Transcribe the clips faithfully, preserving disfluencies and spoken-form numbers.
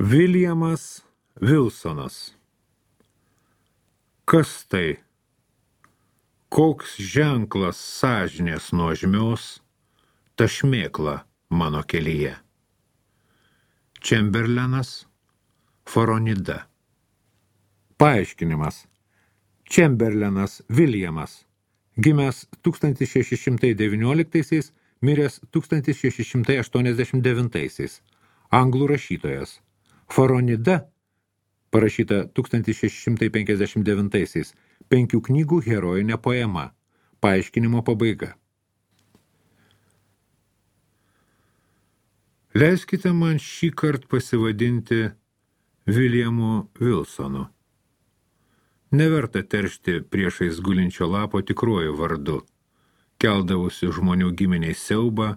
Viljamas Vilsonas. Kas tai? Koks ženklas sąžinės nuožmios, ta šmėkla mano kelyje? Čemberlenas, Faronida. Paaiškinimas. Čemberlenas Viljamas, gimęs tūkstantis šeši šimtai devynioliktaisiais, miręs tūkstantis šeši šimtai aštuoniasdešimt devintaisiais. Anglų rašytojas. Faronida, parašyta tūkstantis šeši šimtai penkiasdešimt devintaisiais, penkių knygų herojinė poema. Paaiškinimo pabaiga. Leiskite man šį kartą pasivadinti Viljamu Vilsonu. Neverta teršti priešais gulinčio lapo tikruoju vardu, keldavusi žmonių giminiai siaubą,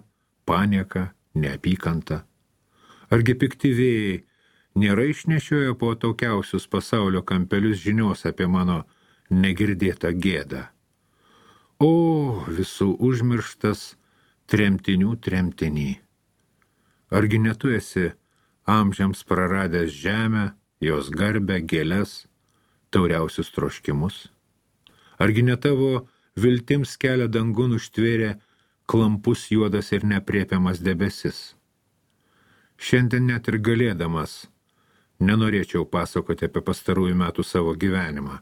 panieką, neapykantą. Argi pikti vėjai nėra išnešioję po atokiausius pasaulio kampelius žinios apie mano negirdėtą gėdą? O, visų užmirštas tremtinių tremtinį. Argi ne tu esi amžiams praradęs žemę, jos garbę, gėles, tauriausius troškimus? Argi ne tavo viltims kelią dangun užtvėrė klampus juodas ir nepriepiamas debesis? Šiandien net ir galėdamas nenorėčiau pasakoti apie pastarųjų metų savo gyvenimą,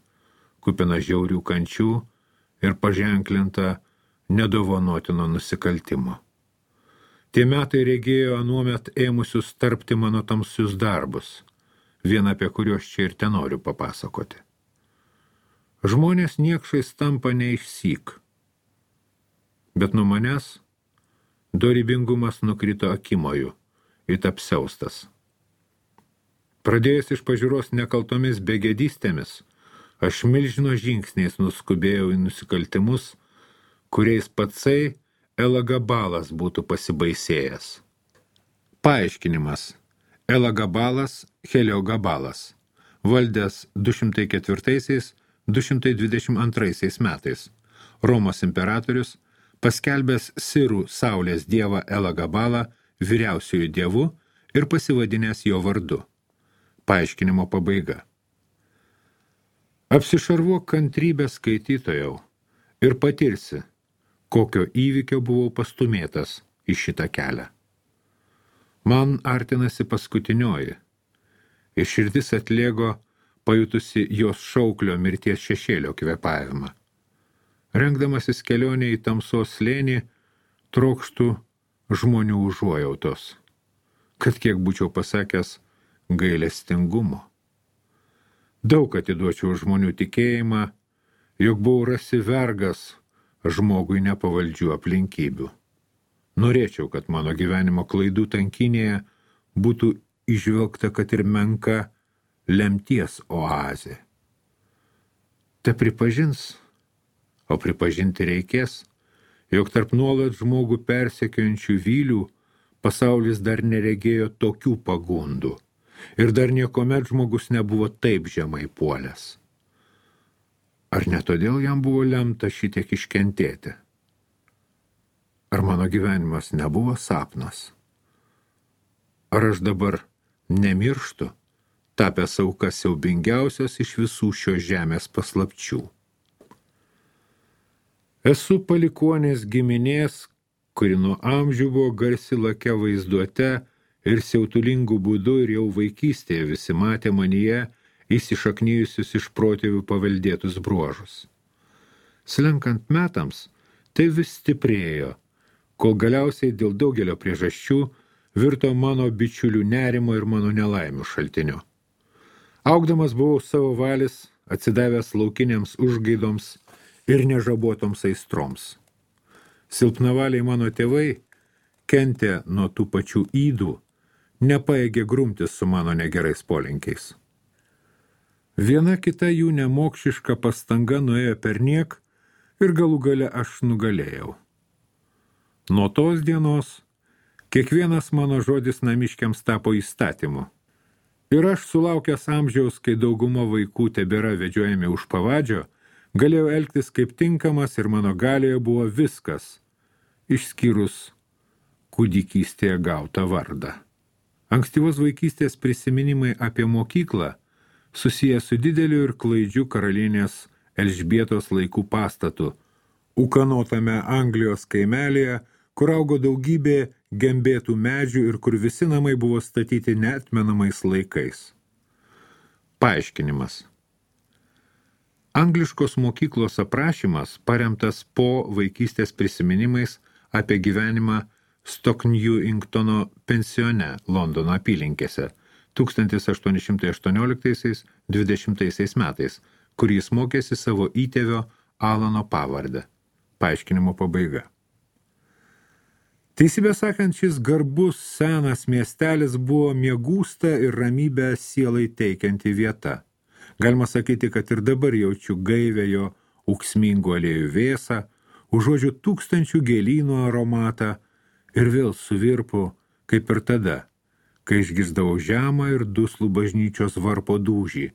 kupiną žiaurių kančių ir paženklintą nedovanotino nusikaltimo. Tie metai regėjo anuomet ėmusius tarpti mano tamsius darbus, vieną apie kuriuos čia ir tenoriu papasakoti. Žmonės niekšais tampa neišsyk, bet nuo manęs dorybingumas nukrito akimoju, it apsiaustas. Pradėjęs iš pažiūros nekaltomis begėdystėmis, aš milžino žingsniais nuskubėjau į nusikaltimus, kuriais patsai Elagabalas būtų pasibaisėjęs. Paaiškinimas. Elagabalas, Heliogabalas, valdęs du šimtai ketvirtaisiais - du šimtai dvidešimt antraisiais metais, Romos imperatorius, paskelbęs sirų saulės dievą Elagabalą vyriausiųjų dievu ir pasivadinęs jo vardu. Paaiškinimo pabaiga. Apsišarvuok kantrybę skaitytojau ir patirsi, kokio įvykio buvau pastumėtas į šitą kelią. Man artinasi paskutinioji, ir širdis atlėgo pajutusi jos šauklio mirties šešėlio kvėpavimą. Rengdamasis kelionė į tamsos slėnį, trokštų žmonių užuojautos, kad kiek būčiau pasakęs gailestingumo. Daug atiduočiau žmonių tikėjimą, jog buvau rasi vergas žmogui nepavaldžių aplinkybių. Norėčiau, kad mano gyvenimo klaidų tankinėje būtų įžvelgta, kad ir menka lemties oazė. Te pripažins, o pripažinti reikės, jog tarp nuolat žmogų persekiojančių vylių pasaulis dar neregėjo tokių pagundų ir dar niekomet žmogus nebuvo taip žemai puolęs. Ar ne todėl jam buvo lemta šitiek iškentėti? Ar mano gyvenimas nebuvo sapnas? Ar aš dabar nemirštu, tapęs auka siaubingiausios iš visų šios žemės paslapčių? Esu palikuonės giminės, kuri nuo amžių buvo garsi lakia vaizduote ir siautulingų būdų ir jau vaikystėje visi matė manyje įsišaknijusius iš protėvių paveldėtus bruožus. Slenkant metams, tai vis stiprėjo, kol galiausiai dėl daugelio priežasčių virto mano bičiulių nerimo ir mano nelaimių šaltiniu. Augdamas buvau savo valis, atsidavęs laukiniams užgaidoms ir nežabotoms aistroms. Silpnavaliai mano tėvai kentė nuo tų pačių ydų, nepaėgė grumtis su mano negerais polinkiais. Viena kita jų nemokšiška pastanga nuėjo perniek ir galų gale aš nugalėjau. Nuo tos dienos kiekvienas mano žodis namiškiams tapo įstatymu. Ir aš sulaukęs amžiaus, kai dauguma vaikų tebėra vedžiojami už pavadžio, galėjau elgtis kaip tinkamas ir mano galioje buvo viskas, išskyrus kūdikystėje gautą vardą. Ankstyvos vaikystės prisiminimai apie mokyklą susiję su dideliu ir klaidžiu karalienės Elžbietos laikų pastatu, ūkanotame Anglijos kaimelėje, kur augo daugybė gembėtų medžių ir kur visi namai buvo statyti neatmenamais laikais. Paaiškinimas. Angliškos mokyklos aprašymas paremtas po vaikystės prisiminimais apie gyvenimą Stocknewingtono pensione Londono apylinkėse tūkstantis aštuoni šimtai aštuonioliktaisiais dvidešimtaisiais metais, kur jis mokėsi savo įtėvio Alano pavardę. Paaiškinimo pabaiga. Teisybę sakant, šis garbus senas miestelis buvo miegūsta ir ramybę sielai teikianti vieta. Galima sakyti, kad ir dabar jaučiu gaivę jo ūksmingų aliejų vėsą, užuodžiu tūkstančių gėlynų aromatą ir vėl suvirpu, kaip ir tada, kai išgirsdavau žemą ir duslų bažnyčios varpo dūžį,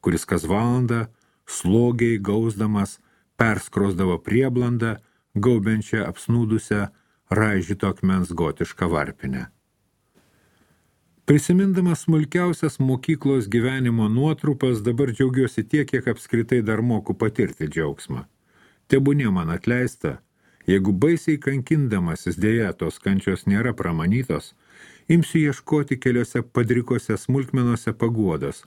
kuris kas valandą, slogiai gausdamas, perskrosdavo prieblandą, gaubiančią apsnūdusią raižyto akmens gotišką varpinę. Prisimindamas smulkiausias mokyklos gyvenimo nuotrupas, dabar džiaugiuosi tiek, kiek apskritai dar moku patirti džiaugsmą. Tebūnie man atleista, jeigu baisiai kankindamasis dėja tos kančios nėra pramanytos, imsiu ieškoti keliose padrikose smulkmenose paguodos,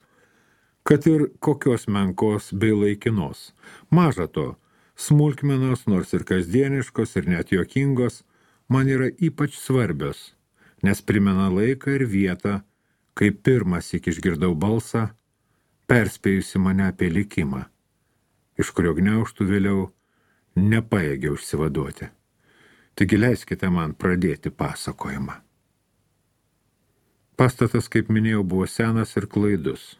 kad ir kokios menkos bei laikinos. Maža to, smulkmenos, nors ir kasdieniškos ir net juokingos, man yra ypač svarbios, nes primena laiką ir vietą, kai pirmąsyk išgirdau balsą, perspėjusi mane apie likimą, iš kurio gniaužtų vėliau nepajėgiau išsivaduoti. Taigi leiskite man pradėti pasakojimą. Pastatas, kaip minėjau, buvo senas ir klaidus.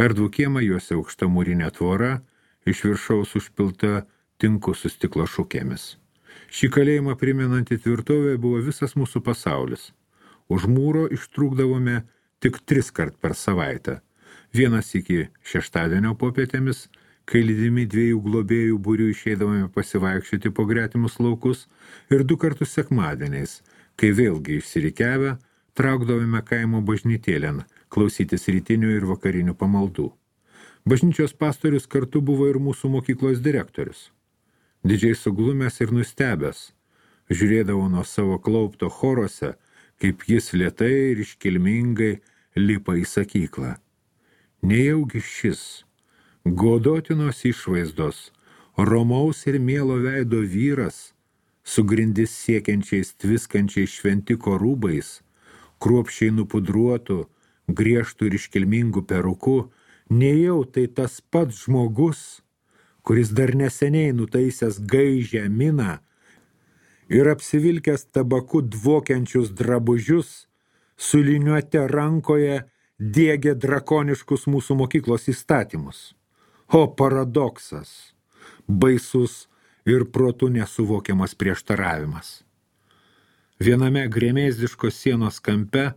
Erdvų kiemą juose aukšta mūrinė tvora, iš viršaus užpilta tinku su stiklo šukėmis. Šį kalėjimą primenantį tvirtovę buvo visas mūsų pasaulis. Už mūro ištrūkdavome tik tris kart per savaitę. Vienas iki šeštadienio popietėmis, kai lydimi dviejų globėjų būrių išeidavome pasivaikščioti po gretimus laukus, ir du kartus sekmadieniais, kai vėlgi išsirikiavę, traukdavome kaimo bažnytėlėn, klausytis rytinių ir vakarinių pamaldų. Bažnyčios pastorius kartu buvo ir mūsų mokyklos direktorius. Didžiai suglumęs ir nustebęs, žiūrėdavo nuo savo klaupto chorose, kaip jis lėtai ir iškilmingai lipa į sakyklą. Nejaugi šis, godotinos išvaizdos, romaus ir mielo veido vyras, su grindis siekiančiais tviskančiais šventiko rūbais, kruopščiai nupudruotų, griežtų ir iškilmingų perukų, nejau tai tas pats žmogus, kuris dar neseniai nutaisęs gaižią miną ir apsivilkęs tabaku dvokiančius drabužius, su liniuote rankoje diegė drakoniškus mūsų mokyklos įstatymus. O paradoksas, baisus ir protu nesuvokiamas prieštaravimas. Viename grėmėzdiškos sienos kampe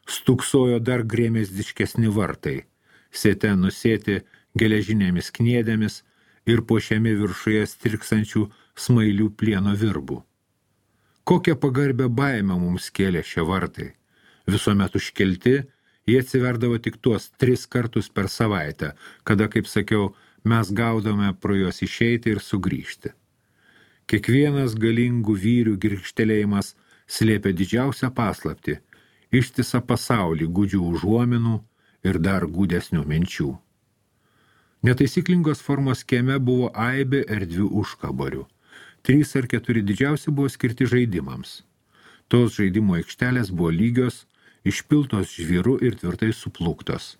stūksojo dar grėmėzdiškesni vartai, sėte nusėti geležinėmis kniedėmis ir puošiami viršuje stirksančių smailių plieno virbų. Kokią pagarbę baimę mums kėlė šie vartai. Visuomet užkelti, jie atsiverdavo tik tuos tris kartus per savaitę, kada, kaip sakiau, mes gaudome pro juos išeiti ir sugrįžti. Kiekvienas galingų vyrių girgžtelėjimas slėpė didžiausią paslaptį, ištisą pasaulį gūdžių užuominų ir dar gūdesnių minčių. Netaisyklingos formos kieme buvo aibė erdvių užkaborių. Trys ar keturi didžiausi buvo skirti žaidimams. Tos žaidimo aikštelės buvo lygios, išpiltos žvyru ir tvirtai suplūktos.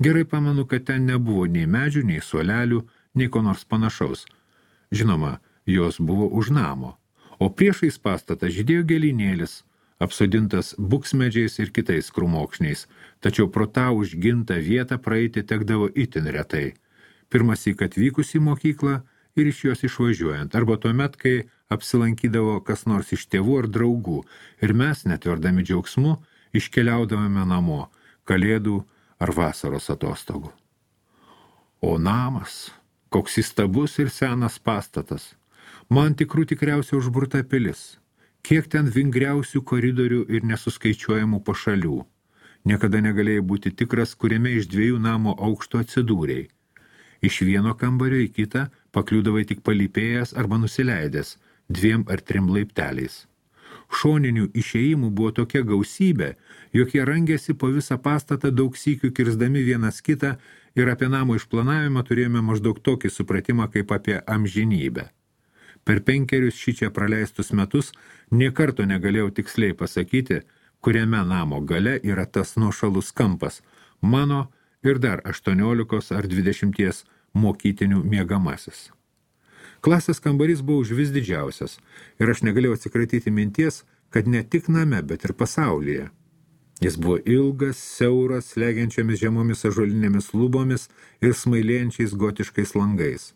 Gerai pamenu, kad ten nebuvo nei medžių, nei suolelių, nei ko nors panašaus. Žinoma, jos buvo už namo, o priešais pastatą žydėjo gėlynėlis, apsodintas buksmedžiais ir kitais krūmokšniais, tačiau pro tą užgintą vietą praeiti tekdavo itin retai. Pirmąsyk atvykus į mokyklą ir iš jos išvažiuojant, arba tuomet, kai apsilankydavo kas nors iš tėvų ar draugų, ir mes, netverdami džiaugsmu, iškeliaudavome namo, kalėdų ar vasaros atostogų. O namas, koks įstabus ir senas pastatas, man tikrų tikriausiai užburta pilis, kiek ten vingriausių koridorių ir nesuskaičiuojamų pašalių. Niekada negalėjai būti tikras, kuriame iš dviejų namo aukšto atsidūrėjai. Iš vieno kambario į kitą pakliūdavai tik palypėjęs arba nusileidęs dviem ar trim laipteliais. Šoninių išėjimų buvo tokia gausybė, jog jie rangėsi po visą pastatą daug sykių kirsdami vienas kitą ir apie namo išplanavimą turėjome maždaug tokį supratimą kaip apie amžinybę. Per penkerius šičia praleistus metus nė karto negalėjau tiksliai pasakyti, kuriame namo gale yra tas nuošalus kampas, mano ir dar aštuoniolikos ar dvidešimties mokytinių miegamasis. Klasės kambarys buvo užvis didžiausias ir aš negalėjau atsikratyti minties, kad ne tik name, bet ir pasaulyje. Jis buvo ilgas, siauras, slegiančiamis žemomis ąžuolinėmis lubomis ir smailėjančiais gotiškais langais.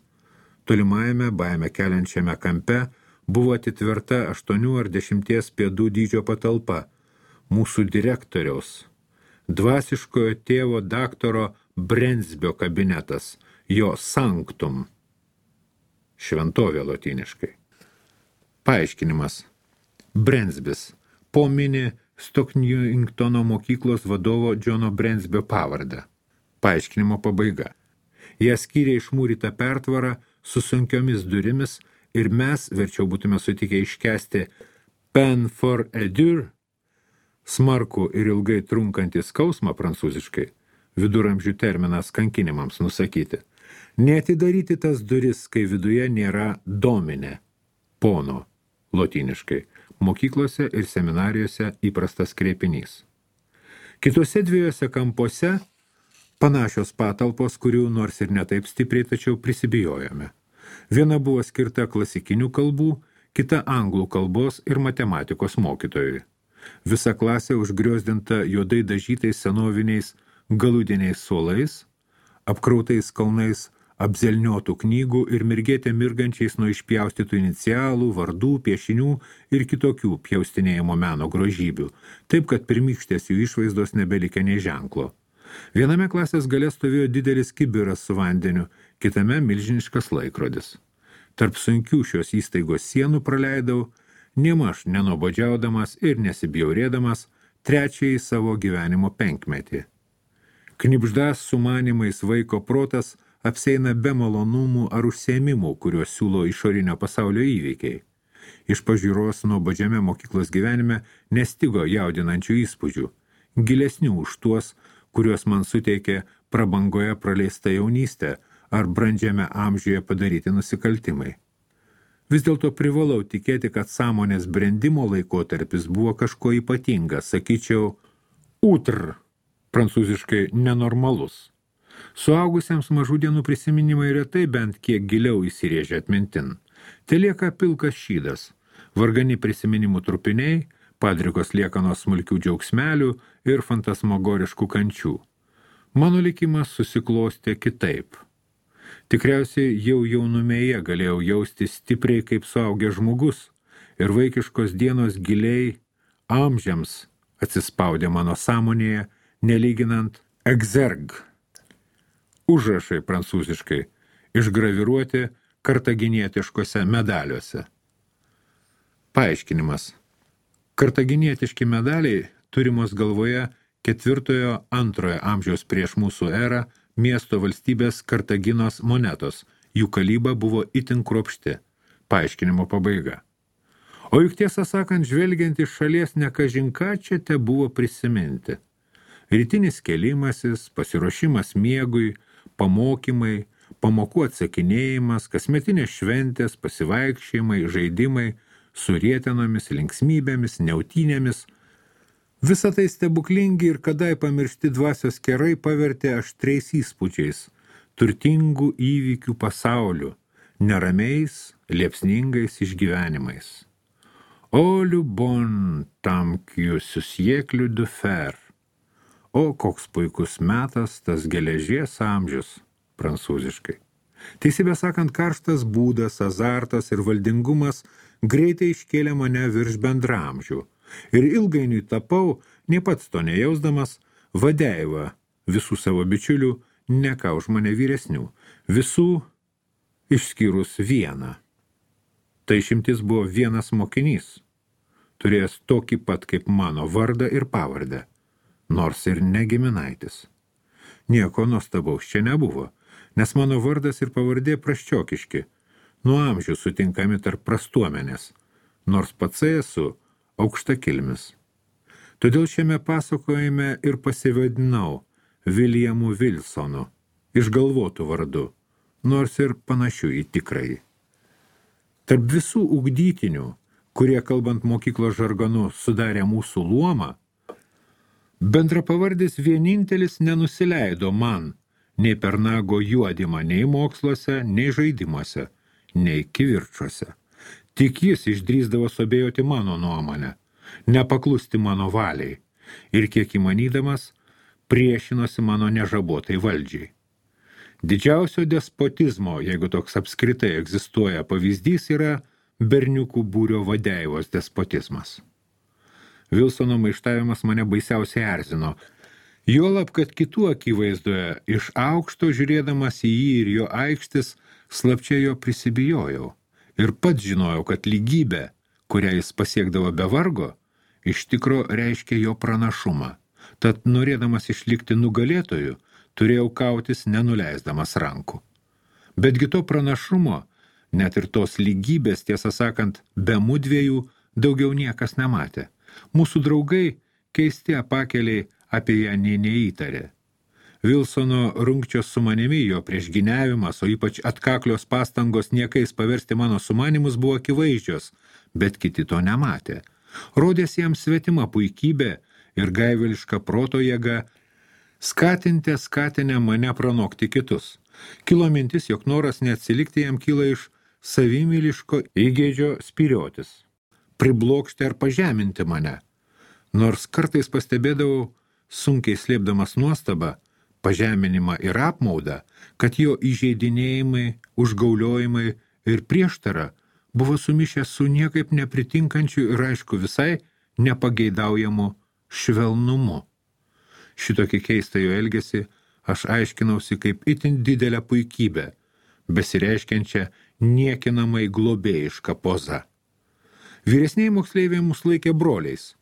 Tolimajame, baime keliančiame kampe buvo atitverta aštuonių ar dešimties pėdų dydžio patalpa, mūsų direktoriaus, dvasiškojo tėvo daktaro Brensbio kabinetas, jo sanctum, šventovė lotyniškai. Paaiškinimas. Brensbis, po mini Stocknewingtono mokyklos vadovo Džono Brensbio pavardę. Paaiškinimo pabaiga. Jie skyrė išmūrytą pertvarą su sunkiomis durimis ir mes, verčiau būtume sutikę iškesti peine for a dur, smarkų ir ilgai trunkantį skausmą prancūziškai, viduramžių terminas kankinimams nusakyti, neatidaryti tas duris, kai viduje nėra domine, pono, lotyniškai, mokyklose ir seminarijose įprastas kreipinys. Kitose dviejose kampuose panašios patalpos, kurių nors ir netaip stipriai, tačiau prisibijojome. Viena buvo skirta klasikinių kalbų, kita anglų kalbos ir matematikos mokytojui. Visa klasė užgriozdinta juodai dažytais senoviniais galudiniais suolais, apkrautais kalnais apzelniotų knygų ir mirgėte mirgančiais nuo išpjaustytų inicialų, vardų, piešinių ir kitokių pjaustinėjimo meno grožybių, taip kad pirmykštės jų išvaizdos nebelikė nei ženklo. Viename klasės gale stovėjo didelis kibiras su vandeniu, kitame milžiniškas laikrodis. Tarp sunkių šios įstaigos sienų praleidau, nėmaž nenobodžiaudamas ir nesibjaurėdamas, trečiąjį savo gyvenimo penkmetį. Knibždas sumanimais vaiko protas apseina be malonumų ar užsiėmimų, kuriuos siūlo išorinio pasaulio įvykiai. Iš pažiūros nuobodžiame mokyklos gyvenime nestigo jaudinančių įspūdžių, gilesnių už tuos, kuriuos man suteikė prabangoje praleista jaunystė ar brandžiame amžiuje padaryti nusikaltimai. Vis dėlto privalau tikėti, kad sąmonės brendimo laikotarpis buvo kažko ypatingas, sakyčiau, utr, prancūziškai nenormalus. Suaugusiems mažų dienų prisiminimai retai bent kiek giliau įsirėžia atmintin. Telieka pilkas šydas, vargani prisiminimų trupiniai, padrikos liekanos smulkių džiaugsmelių ir fantasmagoriškų kančių. Mano likimas susiklostė kitaip. Tikriausiai jau jaunumėje galėjau jausti stipriai kaip suaugęs žmogus ir vaikiškos dienos giliai amžiams atsispaudė mano sąmonėje, nelyginant exerg. Užrašai prancūziškai, išgraviruoti kartaginietiškose medaliuose. Paaiškinimas. Kartaginietiški medaliai turimos galvoje ketvirtojo antrojo amžiaus prieš mūsų erą miesto valstybės Kartaginos monetos. Jų kalyba buvo itin kruopšti. Paaiškinimo pabaiga. O juk tiesą sakant, žvelgiant iš šalies nekažinką čia te buvo prisiminti. Rytinis kėlimasis, pasiruošimas miegui, pamokymai, pamokų atsakinėjimas, kasmetinės šventės, pasivaikščiojimai, žaidimai, su rietenomis, linksmybėmis, neautynėmis. Visa tai stebuklingi ir kadai pamiršti dvasios kerai pavertė aštriais įspūdžiais, turtingų įvykių pasauliu, neramiais, liepsningais išgyvenimais. O le bon temps que ce siècle de fer. O koks puikus metas tas geležies amžius, prancūziškai. Teisybę sakant, karštas būdas, azartas ir valdingumas greitai iškėlė mane virš bendramžių ir ilgainiui tapau, nei pats to nejausdamas, vadeiva visų savo bičiulių, ne ką už mane vyresnių, visų išskyrus vieną. Tai išimtis buvo vienas mokinys, turėjęs tokį pat kaip mano vardą ir pavardę, nors ir negiminaitis. Nieko nuostabaus čia nebuvo, nes mano vardas ir pavardė prasčiokiški, nuo amžių sutinkami tarp prastuomenės, nors pats esu aukštakilmis. Todėl šiame pasakojime ir pasivadinau Williamu Wilsonu, išgalvotų vardu, nors ir panašių į tikrąjį. Tarp visų ugdytinių, kurie, kalbant mokyklos žargonu, sudarė mūsų luomą, bendrapavardis vienintelis nenusileido man, nei per nago juodimą, nei moksluose, nei žaidimuose, nei kivirčuose. Tik jis išdrįsdavo suabejoti mano nuomonę, nepaklusti mano valiai ir kiek įmanydamas priešinosi mano nežabotai valdžiai. Didžiausio despotizmo, jeigu toks apskritai egzistuoja pavyzdys, yra berniukų būrio vadeivos despotizmas. Wilsono maištavimas mane baisiausiai erzino, juolab, kad kitų akivaizdoje iš aukšto žiūrėdamas į jį ir jo aikštis, slapčia jo prisibijojau ir pats žinojau, kad lygybė, kurią jis pasiekdavo be vargo, iš tikro reiškia jo pranašumą. Tad norėdamas išlikti nugalėtoju, turėjau kautis nenuleisdamas rankų. Betgi to pranašumo, net ir tos lygybės, tiesą sakant, be mudviejų daugiau niekas nematė. Mūsų draugai, keisti apakeliai, apie ją nė neįtarė. Wilsono rungčios su manimi, jo priešgyniavimas, o ypač atkaklios pastangos niekais paversti mano sumanimus buvo akivaizdžios, bet kiti to nematė. Rodės jam svetima puikybė ir gaiveliška proto jėga, skatintė skatinę mane pranokti kitus. Kilo mintis, jog noras neatsilikti jam kyla iš savimyliško įgeidžio spyriotis, priblokšti ar pažeminti mane. Nors kartais pastebėdavau, sunkiai slėpdamas nuostabą, pažeminimą ir apmaudą, kad jo įžeidinėjimai, užgauliojimai ir prieštara buvo sumišę su niekaip nepritinkančiu ir aišku visai nepageidaujamu švelnumu. Šitokį keistą jo elgesį aš aiškinausi kaip itin didelę puikybę, besireiškiančią niekinamai globėjišką pozą. Vyresniai moksleiviai mus laikė broliais,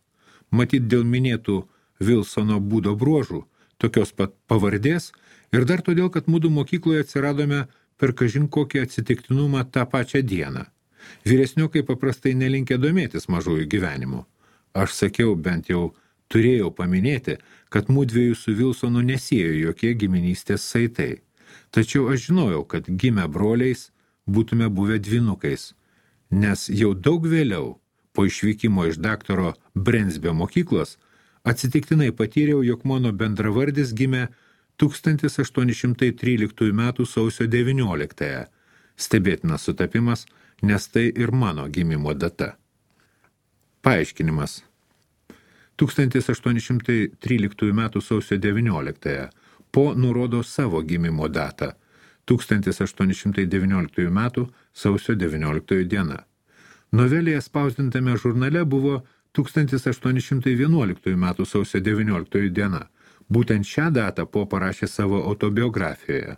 matyt dėl minėtų Wilsono būdo bruožų, tokios pat pavardės ir dar todėl, kad mudu mokykloje atsiradome per kažin kokį atsitiktinumą tą pačią dieną. Vyresniokai paprastai nelinkę domėtis mažųjų gyvenimu. Aš sakiau, bent jau turėjau paminėti, kad mudviejų su Wilsonu nesiejo jokie giminystės saitai. Tačiau aš žinojau, kad gimę broliais būtume buvę dvynukais, nes jau daug vėliau, po išvykimo iš daktaro Brensbio mokyklos, atsitiktinai patyriau, jog mano bendravardis gimė tūkstantis aštuoni šimtai tryliktųjų metų sausio devynioliktąją. Stebėtinas sutapimas, nes tai ir mano gimimo data. Paaiškinimas. tūkstantis aštuoni šimtai tryliktųjų metų sausio devynioliktąją. Po nurodo savo gimimo datą. tūkstantis aštuoni šimtai devynioliktųjų metų sausio devynioliktoji diena. Novelėje spausdintame žurnale buvo tūkstantis aštuoni šimtai vienuoliktųjų metų sausio devynioliktoji diena. Būtent šią datą Po parašė savo autobiografijoje.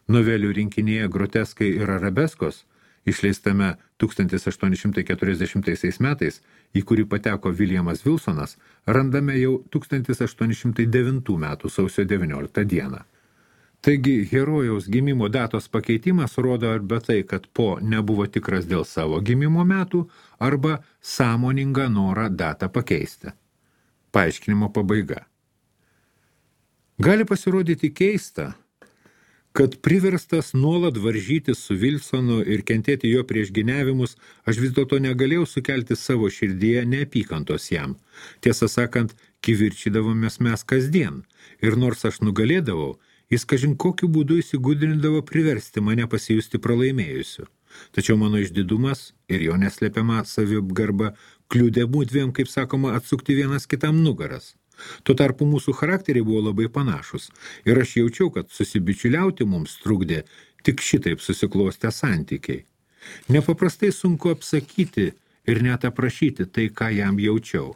Novelių rinkinyje Groteskai ir arabeskos, išleistame tūkstantis aštuoni šimtai keturiasdešimtaisiais metais, į kurį pateko Williamas Wilsonas, randame jau tūkstantis aštuoni šimtai devintų metų sausio devynioliktą dieną. Taigi, herojaus gimimo datos pakeitimas rodo arba tai, kad Po nebuvo tikras dėl savo gimimo metų, arba sąmoningą norą datą pakeisti. Paaiškinimo pabaiga. Gali pasirodyti keista, kad priverstas nuolat varžytis su Wilsonu ir kentėti jo priešgyniavimus, aš vis dėlto negalėjau sukelti savo širdyje neapykantos jam. Tiesą sakant, kivirčydavomės mes kasdien, ir nors aš nugalėdavau, jis kažin kokiu būdu įsigudrindavo priversti mane pasijusti pralaimėjusiu. Tačiau mano išdidumas ir jo neslepiama saviapgarba kliudė mudviem, kaip sakoma, atsukti vienas kitam nugaras. Tuo tarpu mūsų charakteriai buvo labai panašus ir aš jaučiau, kad susibičiuliauti mums trukdė tik šitaip susiklostę santykiai. Nepaprastai sunku apsakyti ir net aprašyti tai, ką jam jaučiau.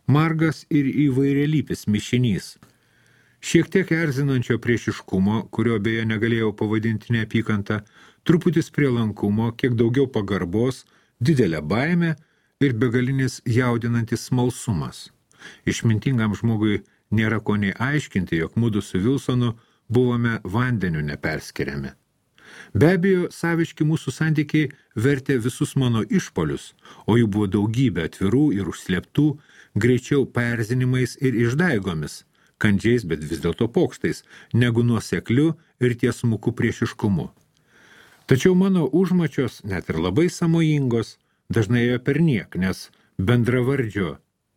Margas ir įvairialypis mišinys. Šiek tiek erzinančio priešiškumo, kurio beje negalėjau pavadinti neapykantą, truputis prielankumo, kiek daugiau pagarbos, didelė baimė ir begalinis jaudinantis smalsumas. Išmintingam žmogui nėra ko nei aiškinti, jog mudu su Vilsonu buvome vandeniu neperskiriami. Be abejo, saviški mūsų santykiai vertė visus mano išpolius, o jų buvo daugybė atvirų ir užslėptų, greičiau perzinimais ir išdaigomis, kandžiais, bet vis dėlto pokštais, negu nuosekliu ir tiesmuku priešiškumu. Tačiau mano užmačios, net ir labai samojingos, dažnai ėjo perniek, nes bendravardžio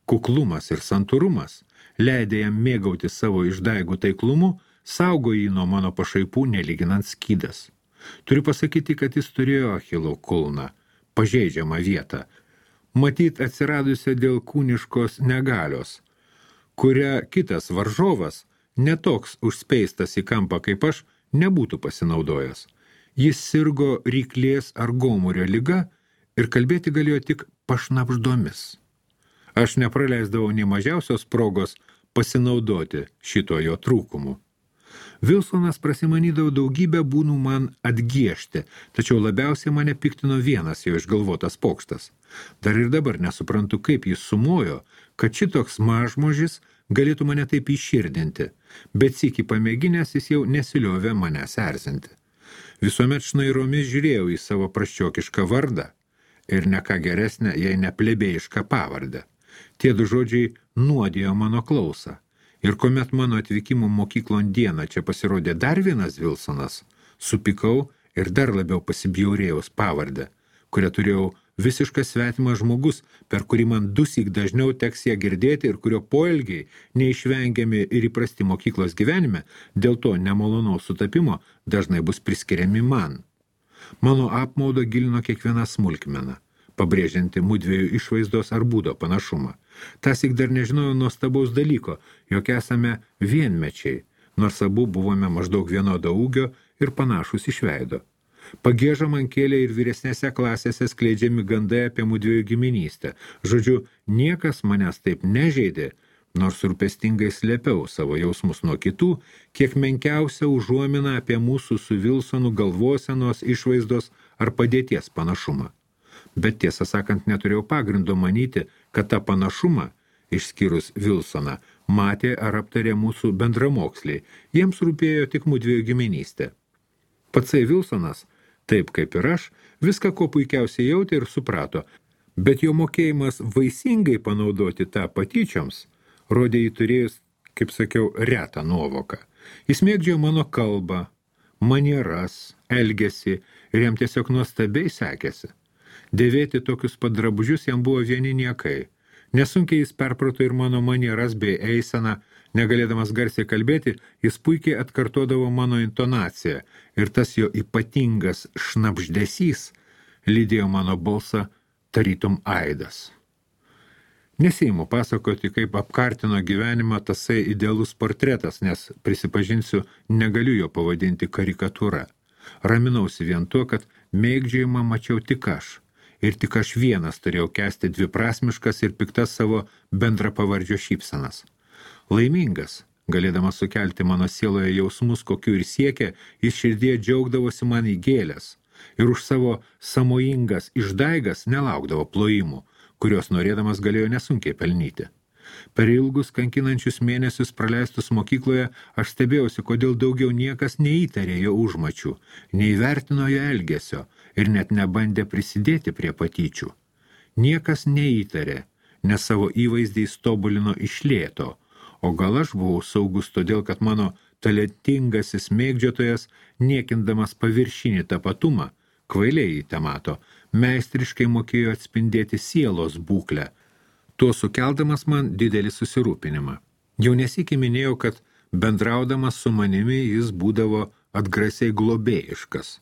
kuklumas ir santūrumas leidė jam mėgauti savo išdaigų taiklumu, saugo jį nuo mano pašaipų nelyginant skydas. Turiu pasakyti, kad jis turėjo Achilo kulną, pažeidžiamą vietą, matyt atsiradusią dėl kūniškos negalios, kurią kitas varžovas, netoks užspeistas į kampą kaip aš, nebūtų pasinaudojęs. Jis sirgo ryklės ar gomurio liga ir kalbėti galėjo tik pašnapždomis. Aš nepraleisdavau nei mažiausios progos pasinaudoti šito jo trūkumu. Vilsonas prasimanydavo daugybę būnų man atgiešti, tačiau labiausiai mane piktino vienas jo išgalvotas pokštas. Dar ir dabar nesuprantu, kaip jis sumojo, kad šitoks mažmožis galėtų mane taip įširdinti, bet sykį pamėginęs jis jau nesiliovė manęs erzinti. Visuomet šnairomis žiūrėjau į savo prasčiokišką vardą ir ne ką geresnę, jei ne plebėjišką pavardę. Tie du žodžiai nuodijo mano klausą. Ir kuomet mano atvykimo mokyklon dieną čia pasirodė dar vienas Vilsonas, supykau ir dar labiau pasibjaurėjaus pavardę, kurią turėjau visiškas svetimas žmogus, per kurį man dusyk dažniau teks ją girdėti ir kurio poelgiai, neišvengiami ir įprasti mokyklos gyvenime, dėl to nemalonaus sutapimo dažnai bus priskiriami man. Mano apmaudą gilino kiekviena smulkmena, pabrėžianti mudviejų išvaizdos ar būdo panašumą. Tasik dar nežinojau nuostabaus dalyko, jog esame vienmečiai, nors abu buvome maždaug vienodo ūgio ir panašus iš veido. Pagiežą man kėlė ir vyresnėse klasėse skleidžiami gandai apie mudviejų giminystę. Žodžiu, niekas manęs taip nežeidė, nors rūpestingai slėpiau savo jausmus nuo kitų, kiek menkiausia užuomina apie mūsų su Vilsonu galvosenos, išvaizdos ar padėties panašumą. Bet tiesą sakant, neturėjau pagrindo manyti, kad tą panašumą, išskyrus Vilsoną, matė ar aptarė mūsų bendramoksliai. Jiems rūpėjo tik mudviejų giminystė. Patsai Vilsonas, taip kaip ir aš, viską ko puikiausiai jautė ir suprato, bet jo mokėjimas vaisingai panaudoti tą patyčioms rodė jį turėjus, kaip sakiau, retą nuovoką. Jis mėgdžiojo mano kalbą, manieras, elgesį ir jam tiesiog nuostabiai sekėsi. Dėvėti tokius pat drabužius jam buvo vieni niekai. Nesunkiai jis perprato ir mano manieras bei eiseną, negalėdamas garsiai kalbėti, jis puikiai atkartodavo mano intonaciją ir tas jo ypatingas šnabždesys lydėjo mano balsą tarytum aidas. Neseimu pasakoti, kaip apkartino gyvenimą tasai idealus portretas, nes, prisipažinsiu, negaliu jo pavadinti karikatūra. Raminausi vien tuo, kad mėgdžiojimą mačiau tik aš. Ir tik aš vienas turėjau kęsti dviprasmiškas ir piktas savo bendrapavardžio šypsenas. Laimingas, galėdamas sukelti mano sieloje jausmus, kokiu ir siekė, jis širdie džiaugdavosi man į gėlės ir už savo samojingas išdaigas nelaukdavo plojimų, kurios norėdamas galėjo nesunkiai pelnyti. Per ilgus kankinančius mėnesius praleistus mokykloje aš stebėjausi, kodėl daugiau niekas neįtarė jo užmačių, neįvertino jo elgesio ir net nebandė prisidėti prie patyčių. Niekas neįtarė, nes savo įvaizdį tobulino iš lėto, o gal aš buvau saugus todėl, kad mano talentingasis mėgdžiotojas, niekindamas paviršinį tapatumą, kvailiai jį temato, meistriškai mokėjo atspindėti sielos būklę, tuo sukeldamas man didelį susirūpinimą. Jau nesikį minėjau, kad bendraudamas su manimi jis būdavo atgrasiai globėjiškas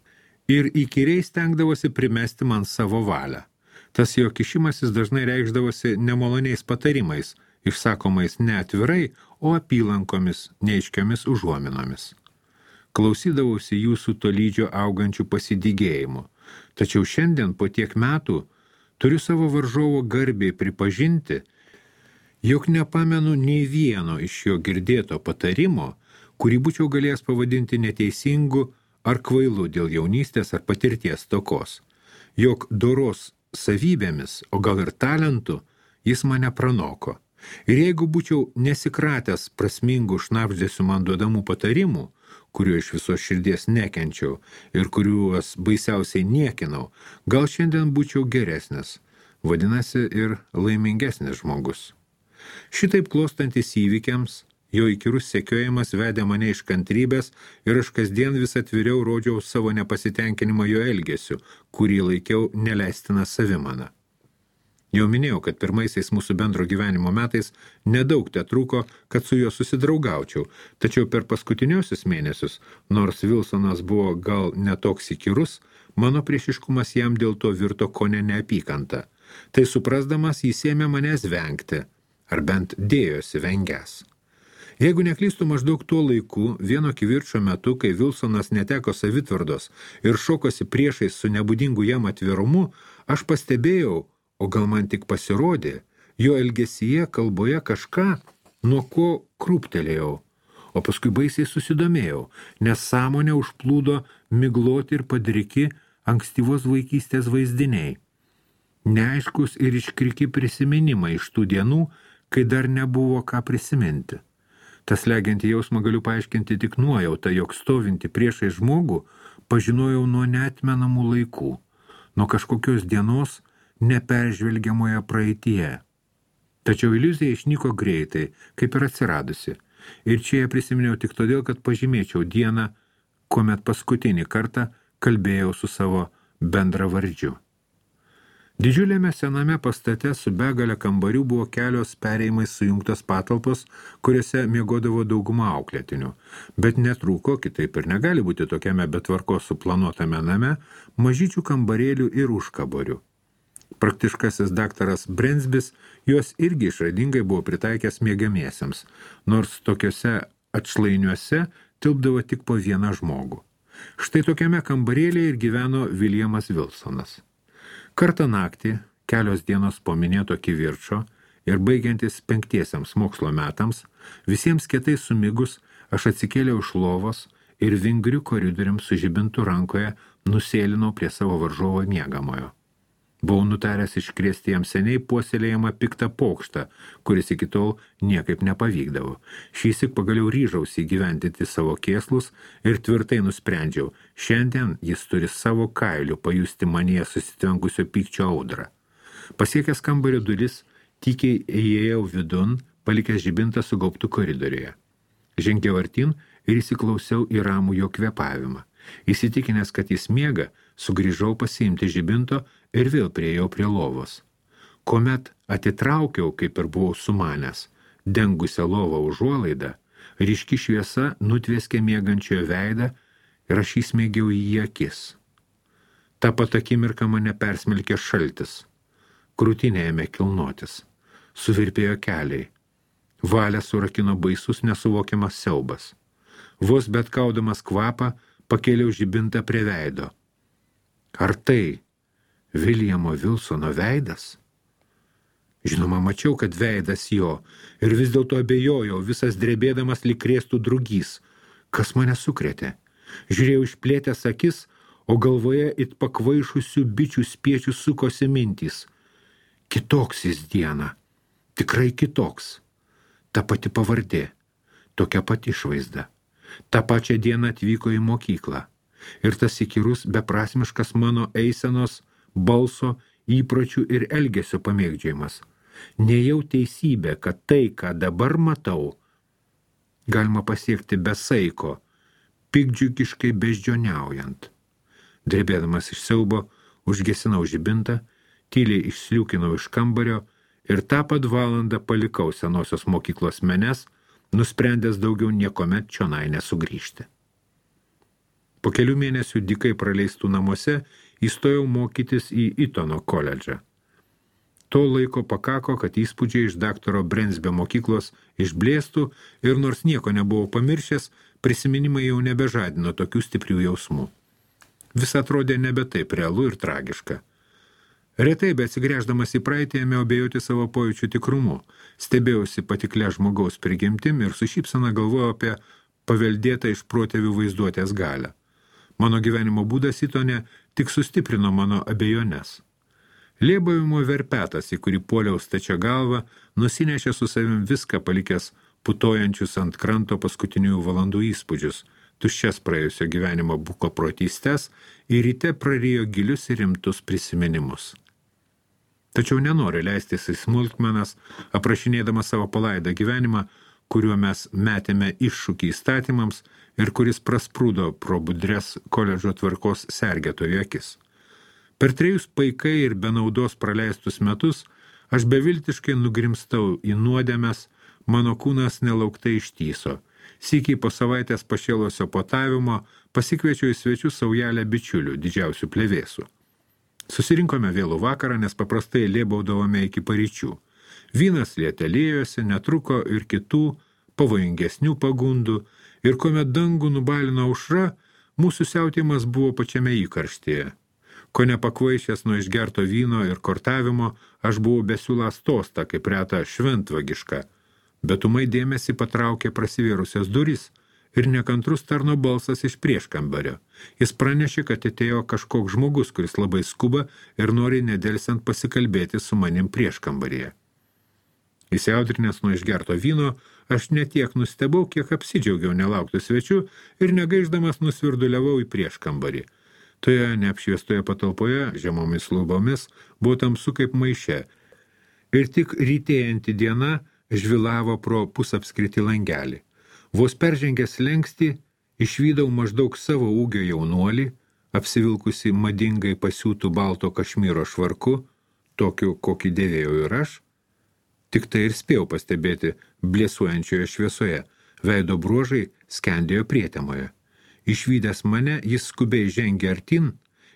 ir įkyriai stengdavosi primesti man savo valią. Tas jo kišimasis dažnai reikšdavosi nemaloniais patarimais, išsakomais ne atvirai, o apylankomis, neaiškiomis užuominomis. Klausydavausi jūsų tolydžio augančių pasidygėjimų, tačiau šiandien po tiek metų turiu savo varžovo garbiai pripažinti, jog nepamenu nei vieno iš jo girdėto patarimo, kurį būčiau galėjęs pavadinti neteisingu ar kvailu dėl jaunystės ar patirties stokos. Jog doros savybėmis, o gal ir talentu, jis mane pranoko. Ir jeigu būčiau nesikratęs prasmingų šnabždesių man duodamų patarimų, kuriuo iš visos širdies nekenčiau ir kuriuos baisiausiai niekinau, gal šiandien būčiau geresnis, vadinasi ir laimingesnis žmogus. Šitaip klostantis įvykiams, jo įkyrus sekiojimas vedė mane iš kantrybės ir aš kasdien vis atviriau rodžiau savo nepasitenkinimą jo elgesiu, kurį laikiau neleistina savimana. Jau minėjau, kad pirmaisiais mūsų bendro gyvenimo metais nedaug tetrūko, kad su juo susidraugaučiau, tačiau per paskutiniosius mėnesius, nors Wilsonas buvo gal netoks įkyrus, mano priešiškumas jam dėl to virto kone neapykanta. Tai suprasdamas jis ėmė manęs vengti, ar bent dėjosi vengęs. Jeigu neklystu maždaug tuo laiku, vieno kivirčio metu, kai Wilsonas neteko savitvardos ir šokosi priešais su nebūdingu jam atvirumu, aš pastebėjau, o gal man tik pasirodė, jo elgesyje kalboje kažką, nuo ko krūptelėjau, o paskui baisiai susidomėjau, nes sąmonę užplūdo migloti ir padriki ankstyvos vaikystės vaizdiniai. Neaiškus ir iškriki prisiminimai iš tų dienų, kai dar nebuvo ką prisiminti. Tas legiantį jausmą galiu paaiškinti tik nuojautą, jog stovinti priešai žmogų pažinojau nuo neatmenamų laikų, nuo kažkokios dienos neperžvelgiamoje praeityje. Tačiau iliuzija išnyko greitai, kaip ir atsiradusi, ir čia ją prisiminiau tik todėl, kad pažymėčiau dieną, kuomet paskutinį kartą kalbėjau su savo bendravardžiu. Didžiuliame sename pastate su begalė kambarių buvo kelios perėjimais sujungtos patalpos, kuriuose miegodavo dauguma auklėtinių, bet netrūko, kitaip ir negali būti tokiame betvarkos suplanuotame name, mažyčių kambarėlių ir užkaborių. Praktiškasis daktaras Brensbis juos irgi išradingai buvo pritaikęs miegamiesiems, nors tokiuose atšlainiuose tilpdavo tik po vieną žmogų. Štai tokiame kambarėlėje ir gyveno Williamas Wilsonas. Kartą naktį, kelios dienos po minėto kivirčo ir baigiantis penktiesiams mokslo metams, visiems kietai sumigus aš atsikėliau iš lovos ir vingriu koridorium su žibintu rankoje nusėlinau prie savo varžovo miegamojo. Buvau nutaręs iškrėsti jam seniai puoselėjamą piktą pokštą, kuris iki tol niekaip nepavykdavo. Šįsyk pagaliau ryžausi įgyvendinti savo kėslus ir tvirtai nusprendžiau, šiandien jis turi savo kailiu pajusti manyje susitvenkusio pykčio audrą. Pasiekęs kambario duris, tykiai įėjau vidun, palikęs žibintą sugaubtų koridoriuje. Žengiau artin ir įsiklausiau į ramų jo kvėpavimą. Įsitikinęs, kad jis miega, sugrįžau pasiimti žibinto ir vėl priėjau prie lovos. Kuomet atitraukiau, kaip ir buvau sumanęs, dengusią lovą užuolaidą, ryški šviesa nutvieskė miegančiojo veidą ir aš įsmeigiau į jį akis. Ta pat akimirką mane persmelkė šaltis. Krūtinė ėmė kilnotis. Suvirpėjo keliai. Valią surakino baisus nesuvokiamas siaubas. Vos bet kaudamas kvapą, pakėliau žibintą prie veido. Ar tai Williamo Wilsono veidas? Žinoma, mačiau, kad veidas jo, ir vis dėlto abejojau, visas drebėdamas lyg krėstų drugys. Kas mane sukrėtė? Žiūrėjau išplėtęs akis, o galvoje it pakvaišusių bičių spiečių sukosi mintys. Kitoks jis diena, tikrai kitoks. Ta pati pavardė, tokia pati išvaizda. Ta pačią dieną atvyko į mokyklą. Ir tas įkyrus, beprasmiškas mano eisenos, balso, įpročių ir elgesio pamėgdžiojimas. Nejau teisybė, kad tai, ką dabar matau, galima pasiekti be saiko, pikdžiugiškai beždžioniaujant. Drebėdamas iš siaubo, užgesinau žibintą, tyliai išsliūkinau iš kambario ir tą pat valandą palikau senosios mokyklos menes, nusprendęs daugiau niekomet čionai nesugrįžti. Po kelių mėnesių dykai praleistų namuose įstojau mokytis į Itono koledžą. To laiko pakako, kad įspūdžiai iš daktaro Brensbio mokyklos išblėstų ir nors nieko nebuvau pamiršęs, prisiminimai jau nebežadino tokių stiprių jausmų. Vis atrodė nebe taip realu ir tragiška. Retai, bet atsigręždamas į praeitį, ėmiau abejoti savo pojūčių tikrumu, stebėjausi patiklia žmogaus prigimtim ir su šypsena galvojau apie paveldėtą iš protėvių vaizduotės galią. Mano gyvenimo būdas Itone tik sustiprino mano abejones. Lėbavimo verpetas, į kurį puoliau stačia galva, nusinešė su savim viską palikęs putojančius ant kranto paskutinių valandų įspūdžius, tuščias praėjusio gyvenimo buko protystes ir ryte prarijo gilius ir rimtus prisiminimus. Tačiau nenori leistis į smulkmenas, aprašinėdama savo palaidą gyvenimą, kuriuo mes metėme iššūkį įstatymams ir kuris prasprūdo pro budres koledžo tvarkos sergėtojų akis. Per trejus paikai ir be naudos praleistus metus aš beviltiškai nugrimstau į nuodėmes, mano kūnas nelauktai ištyso. Sykiai po savaitės pašėlusio potavimo pasikviečiau į svečius saujelę bičiulių, didžiausių plevėsų. Susirinkome vėlų vakarą, nes paprastai lėbaudavome iki paryčių. Vynas lietelėjosi, netruko ir kitų pavojingesnių pagundų, ir kuomet dangų nubalino aušra, mūsų siautėjimas buvo pačiame įkarštyje. Ko nepakvaišęs nuo išgerto vyno ir kortavimo, aš buvau besiūlas tosta, kaip reta šventvagiška, bet ūmai dėmesį patraukė prasivėrusias durys ir nekantrus tarno balsas iš prieškambario. Jis pranešė, kad atėjo kažkoks žmogus, kuris labai skuba ir nori nedelsiant pasikalbėti su manim prieškambaryje. Įsiaudrinęs nuo išgerto vyno, aš netiek nustebau, kiek apsidžiaugiau nelauktų svečių ir negaiždamas nusvirduliavau į prieškambarį. Toje neapšviestoje patalpoje, žemomis lubomis, buvo tamsu kaip maiše ir tik rytėjanti diena žvilavo pro pusapskritį langelį. Vos peržengęs slengstį, išvydau maždaug savo ūgio jaunuolį, apsivilkusi madingai pasiūtų balto kašmyro švarku, tokiu, kokį dėvėjau ir aš. Tik tai ir spėjau pastebėti blėsuojančioje šviesoje, veido bruožai skendėjo prietemoje. Išvydęs mane, jis skubiai žengė artin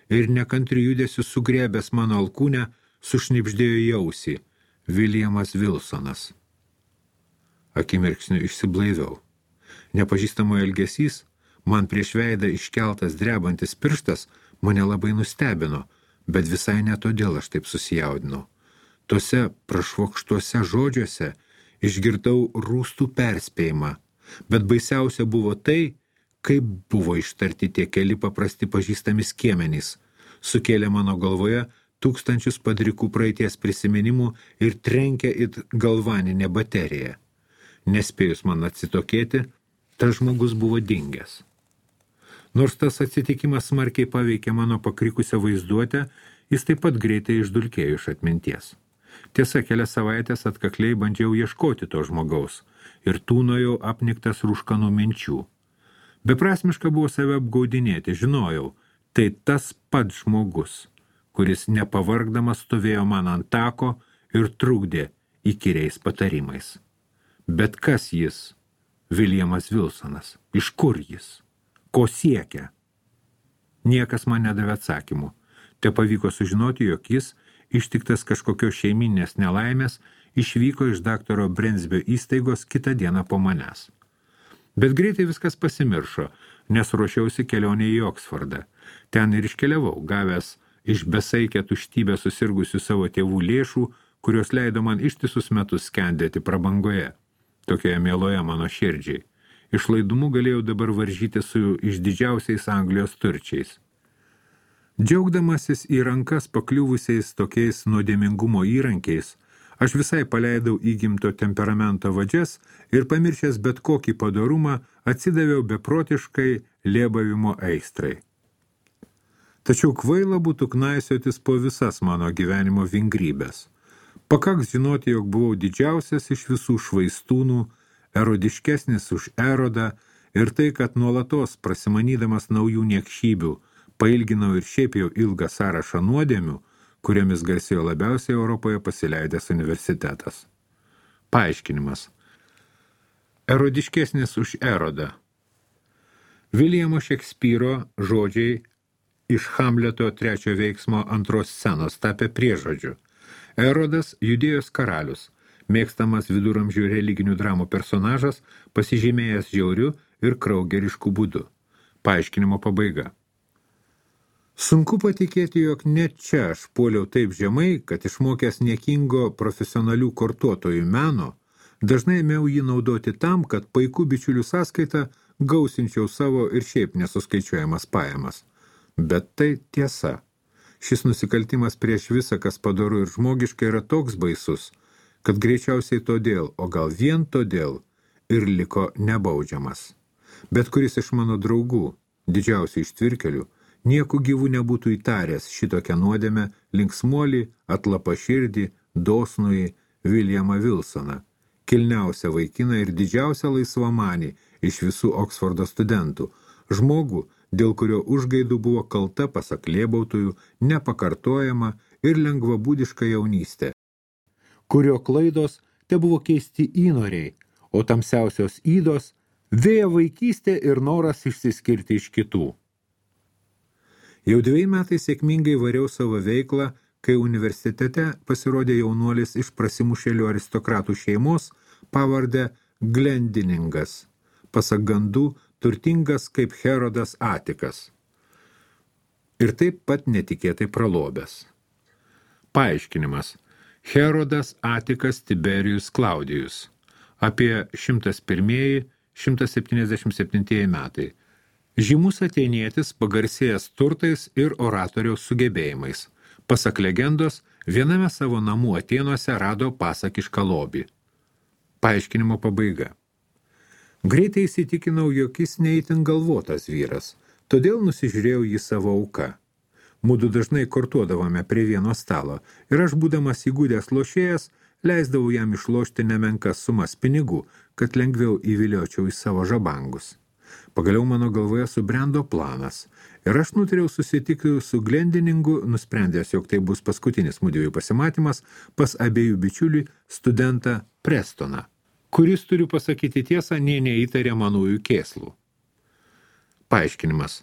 ir nekantri judesiu sugriebęs mano alkūnę, sušnibždėjo į ausį – Williamas Wilsonas. Akimirksniu išsiblaiviau. Nepažįstamo elgesys, man prieš veidą iškeltas drebantis pirštas, mane labai nustebino, bet visai ne todėl aš taip susijaudinau. Tose prašvokštuose žodžiuose išgirdau rūstų perspėjimą, bet baisiausia buvo tai, kaip buvo ištarti tie keli paprasti pažįstami skiemenys, sukėlė mano galvoje tūkstančius padrikų praeities prisiminimų ir trenkė it galvaninę bateriją. Nespėjus man atsitokėti, tas žmogus buvo dingęs. Nors tas atsitikimas smarkiai paveikė mano pakrikusią vaizduotę, jis taip pat greitai išdulkėjo iš atminties. Tiesa, kelias savaitės atkakliai bandžiau ieškoti to žmogaus ir tūnojau apniktas rūškanų minčių. Beprasmiška buvo save apgaudinėti, žinojau, tai tas pats žmogus, kuris nepavargdamas stovėjo man ant tako ir trukdė įkyriais patarimais. Bet kas jis? Williamas Wilsonas. Iš kur jis? Ko siekia? Niekas man nedavė atsakymų. Te pavyko sužinoti, jog jis, ištiktas kažkokios šeiminės nelaimės, išvyko iš daktaro Brensbio įstaigos kitą dieną po manęs. Bet greitai viskas pasimiršo, nes ruošiausi kelionė į Oksfordą. Ten ir iškeliavau, gavęs iš besaikę tuštybę susirgusių savo tėvų lėšų, kurios leido man ištisus metus skendėti prabangoje, tokioje mieloje mano širdžiai. Išlaidumu galėjau dabar varžyti su išdidžiausiais Anglijos turčiais. Džiaugdamasis į rankas pakliuvusiais tokiais nuodėmingumo įrankiais, aš visai paleidau įgimto temperamento vadžias ir pamiršęs bet kokį padorumą atsidaviau beprotiškai lėbavimo aistrai. Tačiau kvaila būtų knaisiotis po visas mano gyvenimo vingrybės. Pakaks žinoti, jog buvau didžiausias iš visų švaistūnų, erodiškesnis už Erodą ir tai, kad nuolatos prasimanydamas naujų niekšybių, pailginau ir šiaip jau ilgą sąrašą nuodėmių, kuriomis garsėjo labiausiai Europoje pasileidęs universitetas. Paaiškinimas. Erodiškesnis už Erodą. Viljamo Šekspyro žodžiai iš Hamleto trečio veiksmo antros scenos tapė priežodžiu. Erodas Judėjos karalius, mėgstamas viduramžių religinių dramų personažas, pasižymėjęs žiauriu ir kraugerišku būdu. Paaiškinimo pabaiga. Sunku patikėti, jog net čia aš puoliau taip žemai, kad išmokęs niekingo profesionalių kortuotojų meno, dažnai ėmiau jį naudoti tam, kad paikų bičiulių sąskaitą gausinčiau savo ir šiaip nesuskaičiuojamas pajamas. Bet tai tiesa. Šis nusikaltimas prieš visą, kas padoru ir žmogiška, yra toks baisus, kad greičiausiai todėl, o gal vien todėl, ir liko nebaudžiamas. Bet kuris iš mano draugų, didžiausių ištvirkelių, nieku gyvų nebūtų įtaręs šitokią nuodėmę linksmuolį, atlapaširdį, dosnųjį Williamą Wilsoną, kilniausią vaikiną ir didžiausią laisvamanį iš visų Oksfordo studentų, žmogų, dėl kurio užgaidų buvo kalta, pasak lėbautojų, nepakartojama ir lengvabūdiška jaunystė, kurio klaidos te buvo keisti įnoriai, o tamsiausios įdos vėja vaikystė ir noras išsiskirti iš kitų. Jau dviejai metai sėkmingai variau savo veiklą, kai universitete pasirodė jaunuolis iš prasimušėlių aristokratų šeimos pavardę Glendiningas, pasak gandų turtingas kaip Herodas Atikas. Ir taip pat netikėtai pralobęs. Paaiškinimas. Herodas Atikas Tiberijus Klaudijus. Apie šimtas pirmieji - šimtas septyniasdešimt septintieji metai. Žymus atėnietis pagarsėjęs turtais ir oratoriaus sugebėjimais. Pasak legendos, viename savo namų Atėnuose rado pasakišką lobį. Paaiškinimo pabaiga. Greitai įsitikinau, jog jis neįtin galvotas vyras, todėl nusižiūrėjau jį savo auką. Mudu dažnai kortuodavome prie vieno stalo ir aš, būdamas įgudęs lošėjas, leisdavau jam išlošti nemenkas sumas pinigų, kad lengviau įviliočiau į savo žabangus. Pagaliau mano galvoje subrendo planas ir aš nutariau susitikti su Glendiningu, nusprendęs, jog tai bus paskutinis mudviejų pasimatymas pas abiejų bičiulį studentą Prestoną, kuris, turiu pasakyti tiesą, nė neįtarė manųjų kėslų. Paaiškinimas.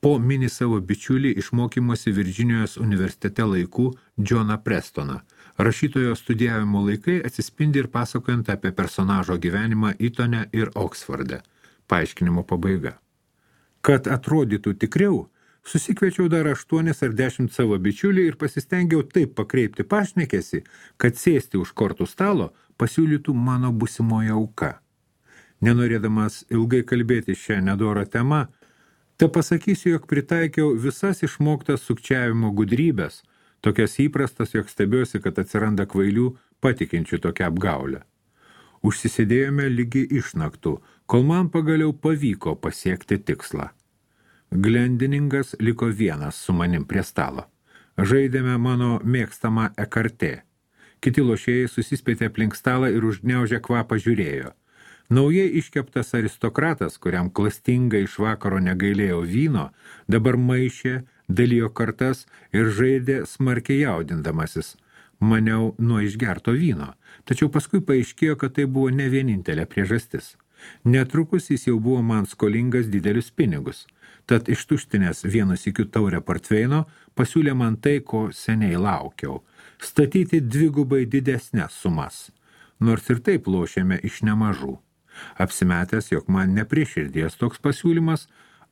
Po mini savo bičiulį iš mokymosi Virdžinijos universitete laikų Johną Prestoną. Rašytojo studijavimo laikai atsispindi ir pasakojant apie personažo gyvenimą Itone ir Oksforde. Paaiškinimo pabaiga. Kad atrodytų tikriau, susikviečiau dar aštuonis ar dešimt savo bičiulį ir pasistengiau taip pakreipti pašnekėsi, kad sėsti už kortų stalo pasiūlytų mano busimoji auka. Nenorėdamas ilgai kalbėti šią nedorą temą, te pasakysiu, jog pritaikiau visas išmoktas sukčiavimo gudrybės, tokias įprastas, jog stebiuosi, kad atsiranda kvailių patikinčių tokią apgaulę. Užsisėdėjome lygi išnaktų, kol man pagaliau pavyko pasiekti tikslą. Glendiningas liko vienas su manim prie stalo. Žaidėme mano mėgstamą ekartė. Kiti lošėjai susispėtė aplink stalą ir užgniaužę kvapą žiūrėjo. Naujai iškeptas aristokratas, kuriam klastingai iš vakaro negailėjo vyno, dabar maišė, dalijo kartas ir žaidė smarkiai jaudindamasis. Maniau nuo išgerto vyno, tačiau paskui paaiškėjo, kad tai buvo ne vienintelė priežastis. Netrukus jis jau buvo man skolingas didelius pinigus, tad ištuštinęs vienu sykiu taurę portveino pasiūlė man tai, ko seniai laukiau – statyti dvigubai didesnes sumas, nors ir taip lošėme iš nemažų. Apsimetęs, jog man neprieširdies toks pasiūlymas,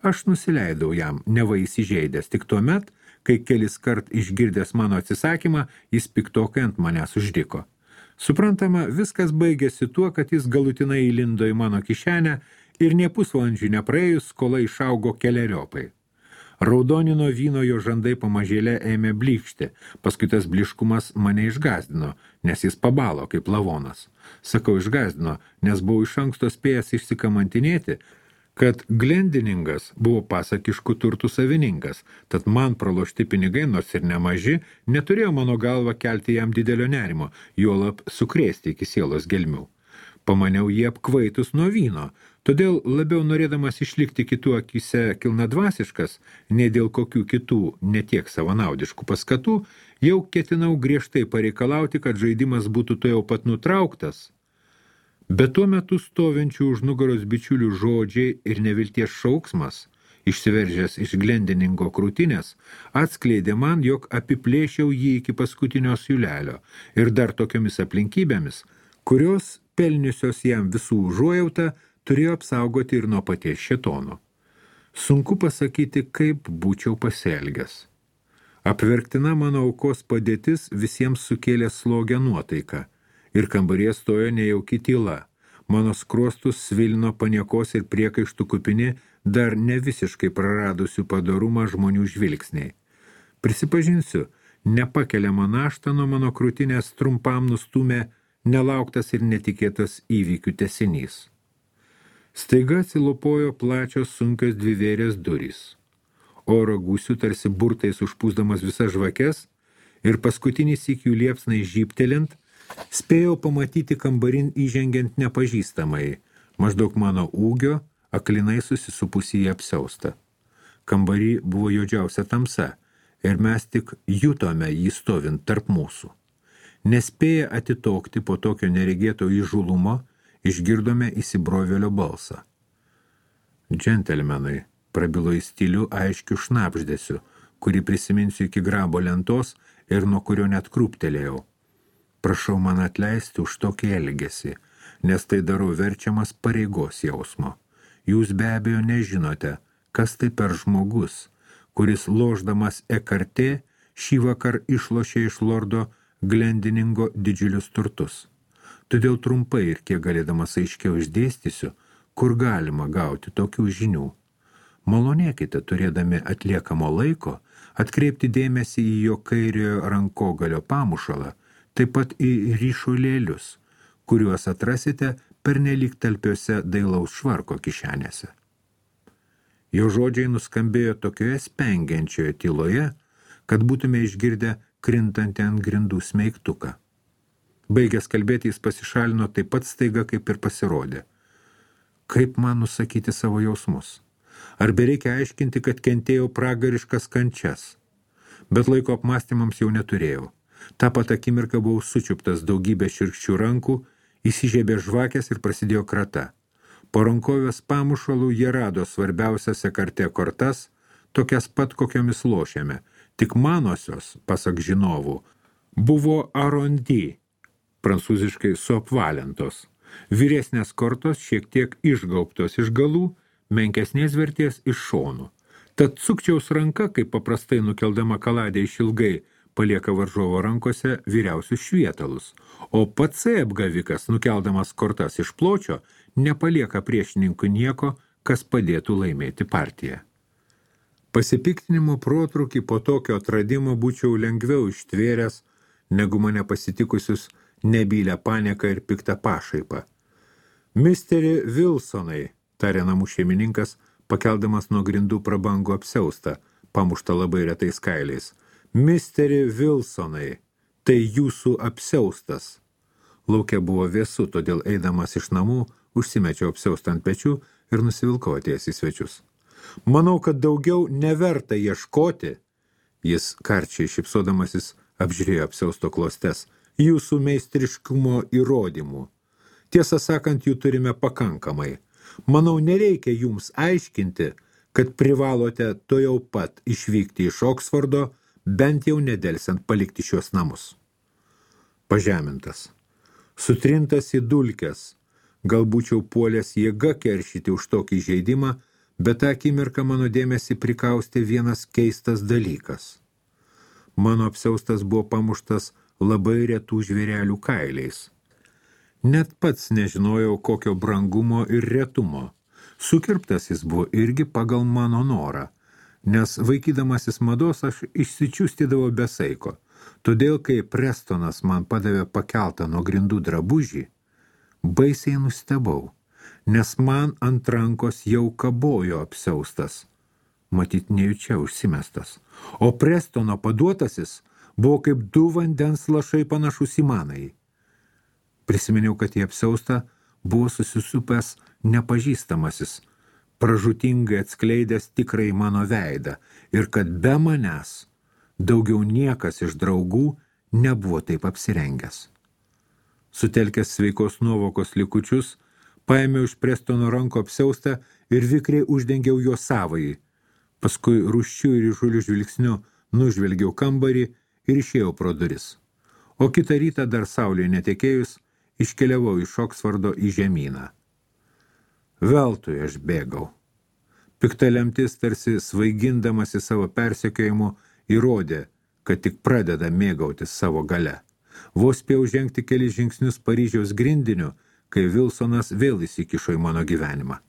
aš nusileidau jam, neva įsižeidęs, tik tuomet, kai kelis kart išgirdęs mano atsisakymą, jis piktokai ant manęs uždiko. Suprantama, viskas baigėsi tuo, kad jis galutinai įlindo į mano kišenę ir nė pusvalandžių nepraėjus skola išaugo keleriopai. Raudonino vyno jo žandai pamažėlė ėmė blykšti, paskui tas bliškumas mane išgazdino, nes jis pabalo kaip lavonas. Sakau išgazdino, nes buvau iš anksto spėjęs išsikamantinėti, kad Glendiningas buvo pasakiškų turtų savininkas, tad man pralošti pinigai, nors ir nemaži, neturėjo mano galva kelti jam didelio nerimo, juolab sukrėsti iki sielos gelmių. Pamaniau jį apkvaitus nuo vyno, todėl labiau norėdamas išlikti kitų akise kilnadvasiškas, nei dėl kokių kitų netiek savanaudiškų paskatų, jau ketinau griežtai pareikalauti, kad žaidimas būtų to jau pat nutrauktas. Bet tuo metu stovinčių už nugaros bičiulių žodžiai ir nevilties šauksmas, išsiveržęs iš Glendiningo krūtinės, atskleidė man, jog apiplėšiau jį iki paskutinio siūlelio ir dar tokiomis aplinkybėmis, kurios, pelniusios jam visų užuojautą, turėjo apsaugoti ir nuo paties šėtono. Sunku pasakyti, kaip būčiau pasielgęs. Apverktina mano aukos padėtis visiems sukėlė slogę nuotaiką. Ir kambaryje stojo nejauki tyla. Mano skruostus svilino paniekos ir priekaištų kupini dar ne visiškai praradusių padorumą žmonių žvilgsniai. Prisipažinsiu, nepakeliamą naštą nuo mano krūtinės trumpam nustumė nelauktas ir netikėtas įvykių tęsinys. Staiga atsilopojo plačios sunkios dvivėrės durys. Oro gūsių tarsi burtais užpūsdamas visas žvakes ir paskutinį sykių liepsnai žybtelint, spėjau pamatyti kambarin įžengiant nepažįstamai, maždaug mano ūgio, aklinai susisupusį į apsiaustą. Kambarį buvo juodžiausia tamsa ir mes tik jutome jį stovint tarp mūsų. Nespėję atitokti po tokio neregėto įžulumo, išgirdome įsibrovėlio balsą. Džentelmenai, prabilo į stilių aiškių šnapždesiu, kurį prisiminsiu iki grabo lentos ir nuo kurio net krūptelėjau. Prašau man atleisti už tokį elgesį, nes tai darau verčiamas pareigos jausmo. Jūs be abejo nežinote, kas tai per žmogus, kuris lošdamas ekartė šį vakar išlošė iš lordo Glendiningo didžiulius turtus. Todėl trumpai ir kiek galėdamas aiškiau išdėstysiu, kur galima gauti tokių žinių. Malonėkite, turėdami atliekamo laiko, atkreipti dėmesį į jo kairiojo rankogalio pamušalą, taip pat į ryšulėlius, kuriuos atrasite pernelyg talpiose dailaus švarko kišenėse. Jo žodžiai nuskambėjo tokioje spengiančioje tyloje, kad būtume išgirdę krintantį ant grindų smeigtuką. Baigęs kalbėti, jis pasišalino taip pat staiga, kaip ir pasirodė. Kaip man nusakyti savo jausmus? Ar bereikia aiškinti, kad kentėjau pragariškas kančias? Bet laiko apmąstymams jau neturėjau. Ta pat akimirka buvau sučiuptas daugybė širkščių rankų, įsižiebė žvakės ir prasidėjo krata. Po rankovės pamušalų jie rado svarbiausias ekarte kortas, tokias pat kokiomis lošėme, tik manosios, pasak žinovų, buvo arondi, prancūziškai suapvalintos. Vyresnės kortos šiek tiek išgaubtos iš galų, menkesnės vertės iš šonų. Tad sukčiaus ranka, kaip paprastai nukeldama kaladę išilgai, palieka varžovo rankose vyriausius švietalus, o pats apgavikas, nukeldamas kortas iš pločio, nepalieka priešininkų nieko, kas padėtų laimėti partiją. Pasipiktinimo protrūkį po tokio atradimo būčiau lengviau ištvėręs, negu mane pasitikusius nebylę panieką ir piktą pašaipą. Misteri Wilsonai, tarė namų šeimininkas, pakeldamas nuo grindų prabangų apsiaustą, pamuštą labai retais kailiais. Misteri Wilsonai, tai jūsų apsiaustas. Lauke buvo vėsu, todėl eidamas iš namų, užsimečiau apsiaustą ant pečių ir nusivilkau atėjęs į svečius. Manau, kad daugiau neverta ieškoti, jis karčiai šipsodamasis apžiūrėjo apsiausto klostes, jūsų meistriškumo įrodymų. Tiesą sakant, jų turime pakankamai. Manau, nereikia jums aiškinti, kad privalote to jau pat išvykti iš Oksfordo, bent jau nedelsiant palikti šios namus. Pažemintas, sutrintas į dulkes, galbūčiau puolęs jėga keršyti už tokį žaidimą, bet tą akimirką mano dėmesį prikaustė vienas keistas dalykas. Mano apsiaustas buvo pamuštas labai retų žvėrelių kailiais. Net pats nežinojau, kokio brangumo ir retumo. Sukirptas jis buvo irgi pagal mano norą, nes vaikydamasis mados aš išsičiustydavau be saiko. Todėl, kai Prestonas man padavė pakeltą nuo grindų drabužį, baisiai nustebau, nes man ant rankos jau kabojo apsiaustas, matyt nejučia užsimestas, o Prestono paduotasis buvo kaip du vandens lašai panašus į manąjį. Prisiminiau, kad į apsiaustą buvo susisupęs nepažįstamasis, pražūtingai atskleidęs tikrai mano veidą ir kad be manęs daugiau niekas iš draugų nebuvo taip apsirengęs. Sutelkęs sveikos nuovokos likučius, paėmiau iš Prestono ranko apsiaustą ir vikriai uždengiau jo savąjį. Paskui rūsčių ir įžulių žvilgsniu nužvelgiau kambarį ir išėjau pro duris. O kitą rytą dar saulėje netekėjus, iškeliavau iš Oksfordo į žemyną. Veltui aš bėgau. Pikta lemtis, tarsi svaigindamasi savo persekiojimu, įrodė, kad tik pradeda mėgautis savo gale. Vos spėjau žengti kelis žingsnius Paryžiaus grindiniu, kai Wilsonas vėl įsikišo į mano gyvenimą.